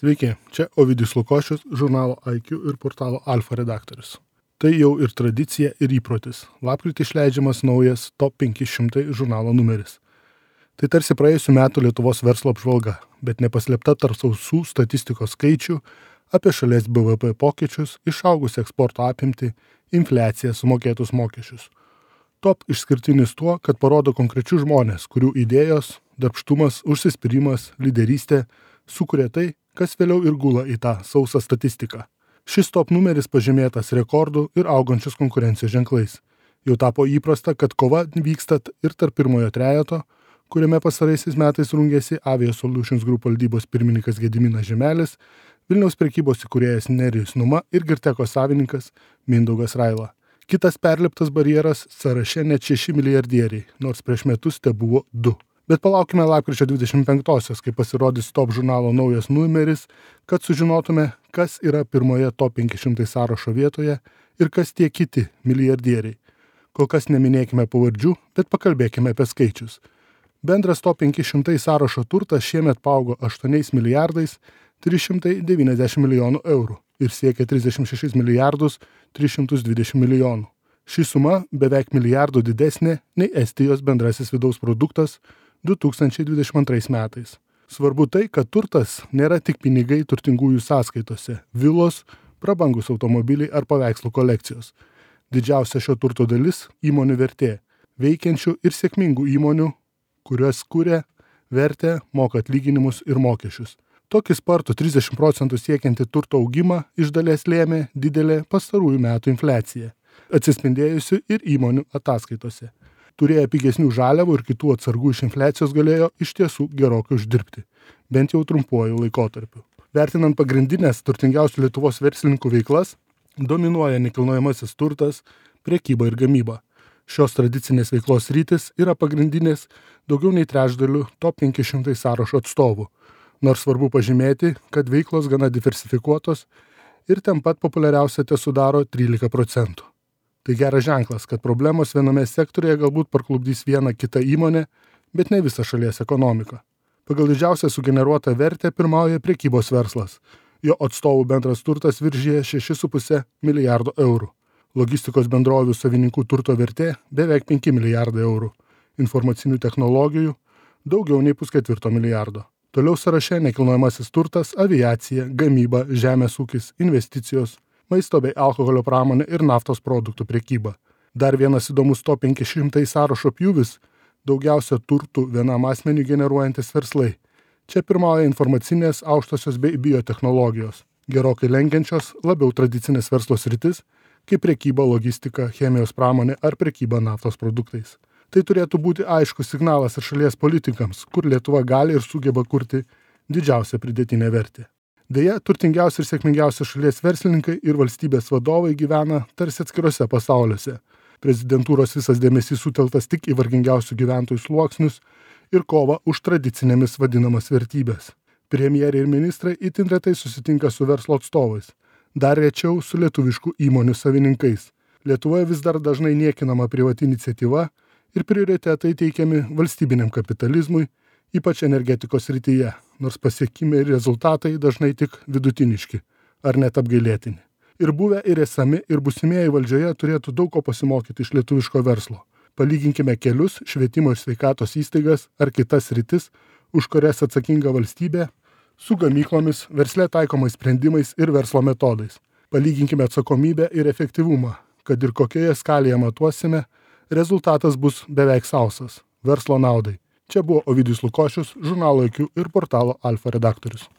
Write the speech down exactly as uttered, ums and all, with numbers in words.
Sveiki, čia Ovidijus Lukošius, žurnalo I Q ir portalo Alfa redaktorius. Tai jau ir tradicija, ir įprotis. Lapkritį išleidžiamas naujas Top penki šimtai žurnalo numeris. Tai tarsi praėjusių metų Lietuvos verslo apžvalga, bet nepaslėpta tarp sausų statistikos skaičių apie šalies B V P pokyčius, išaugusią eksporto apimtį, infliaciją, sumokėtus mokesčius. Top išskirtinis tuo, kad parodo konkrečius žmonės, kurių idėjos, darbštumas, užsispyrimas, lyderystė sukuria tai, kas vėliau ir gula į tą sausą statistiką. Šis top numeris pažymėtas rekordų ir augančios konkurencijos ženklais. Jau tapo įprasta, kad kova vyksta ir tarp pirmojo trejeto, kuriame pastaraisiais metais rungėsi Avia Solutions Group valdybos pirmininkas Gediminas Žemelis, Vilniaus prekybos įkūrėjas Nerijus Numa ir Girteko savininkas Mindaugas Raila. Kitas perliptas barjeras sąraše net šeši milijardieriai, nors prieš metus te buvo du. Bet palaukime lapkričio dvidešimt penktosios, kai pasirodys Top žurnalo naujas numeris, kad sužinotume, kas yra pirmoje Top penki šimtai sąrašo vietoje ir kas tie kiti milijardieriai. Kol kas neminėkime pavardžių, bet pakalbėkime apie skaičius. Bendras Top penki šimtai sąrašo turtas šiemet paaugo aštuoniais milijardais trys šimtai devyniasdešimt milijonų eurų ir siekia trisdešimt šešis milijardus tris šimtus dvidešimt milijonų. Ši suma beveik milijardu didesnė nei Estijos bendrasis vidaus produktas du tūkstančiai dvidešimt antrais metais. Svarbu tai, kad turtas nėra tik pinigai turtingųjų sąskaitose, vilos, prabangus automobiliai ar paveikslų kolekcijos. Didžiausia šio turto dalis – įmonių vertė, veikiančių ir sėkmingų įmonių, kurios kuria vertę, moka atlyginimus ir mokesčius. Tokį spartų trisdešimt procentų siekiantį turto augimą iš dalies lėmė didelė pastarųjų metų infliacija, atsispindėjusi ir įmonių ataskaitose. Turėję pigesnių žaliavų ir kitų atsargų iš infliacijos galėjo iš tiesų gerokai uždirbti, bent jau trumpuoju laikotarpiu. Vertinant pagrindinės turtingiausių Lietuvos verslininkų veiklas, dominuoja nekilnojamasis turtas, prekyba ir gamyba. Šios tradicinės veiklos sritys yra pagrindinės daugiau nei trečdalių Top penki šimtai sąrašo atstovų, nors svarbu pažymėti, kad veiklos gana diversifikuotos ir ten pat populiariausia te sudaro trylika procentų. Tai geras ženklas, kad problemos viename sektorėje galbūt parklupdys vieną kitą įmonę, bet ne visą šalies ekonomiką. Pagal didžiausią sugeneruotą vertę pirmauja prekybos verslas. Jo atstovų bendras turtas viršija šešis su puse milijardo eurų. Logistikos bendrovių savininkų turto vertė beveik penki milijardai eurų. Informacinių technologijų daugiau nei pusketvirto milijardo. Toliau sąraše nekilnojamasis turtas, aviacija, gamyba, žemės ūkis, investicijos, maisto bei alkoholio pramonė ir naftos produktų prekyba. Dar vienas įdomus Top penki šimtai sąrašo pjūvis – daugiausia turtų vienam asmeniui generuojantis verslai. Čia pirmauja informacinės, aukštosios bei biotechnologijos, gerokai lenkiančios labiau tradicinės verslo sritis, kaip prekyba, logistika, chemijos pramonė ar prekyba naftos produktais. Tai turėtų būti aiškus signalas ir šalies politikams, kur Lietuva gali ir sugeba kurti didžiausią pridėtinę vertę. Deja, turtingiausi ir sėkmingiausi šalies verslininkai ir valstybės vadovai gyvena tarsi atskiruose pasauliuose. Prezidentūros visas dėmesys suteltas tik į vargingiausių gyventojų sluoksnius ir kovą už tradicinėmis vadinamas vertybės. Premjerė ir ministrai itin retai susitinka su verslo atstovais, dar rečiau su lietuviškų įmonių savininkais. Lietuvoje vis dar dažnai niekinama privati iniciatyva ir prioritetai teikiami valstybiniam kapitalizmui, ypač energetikos srityje, nors pasiekimai ir rezultatai dažnai tik vidutiniški, ar net apgailėtini. Ir buvę, ir esami, ir būsimieji valdžioje turėtų daug ko pasimokyti iš lietuviško verslo. Palyginkime kelius, švietimo ir sveikatos įstaigas ar kitas sritis, už kurias atsakinga valstybė, su gamyklomis, versle taikomais sprendimais ir verslo metodais. Palyginkime atsakomybę ir efektyvumą, kad ir kokioje skalėje matuosime, rezultatas bus beveik sausas – verslo naudai. Čia buvo Ovidijus Lukošius, žurnalo I Q ir portalo Alfa redaktorius.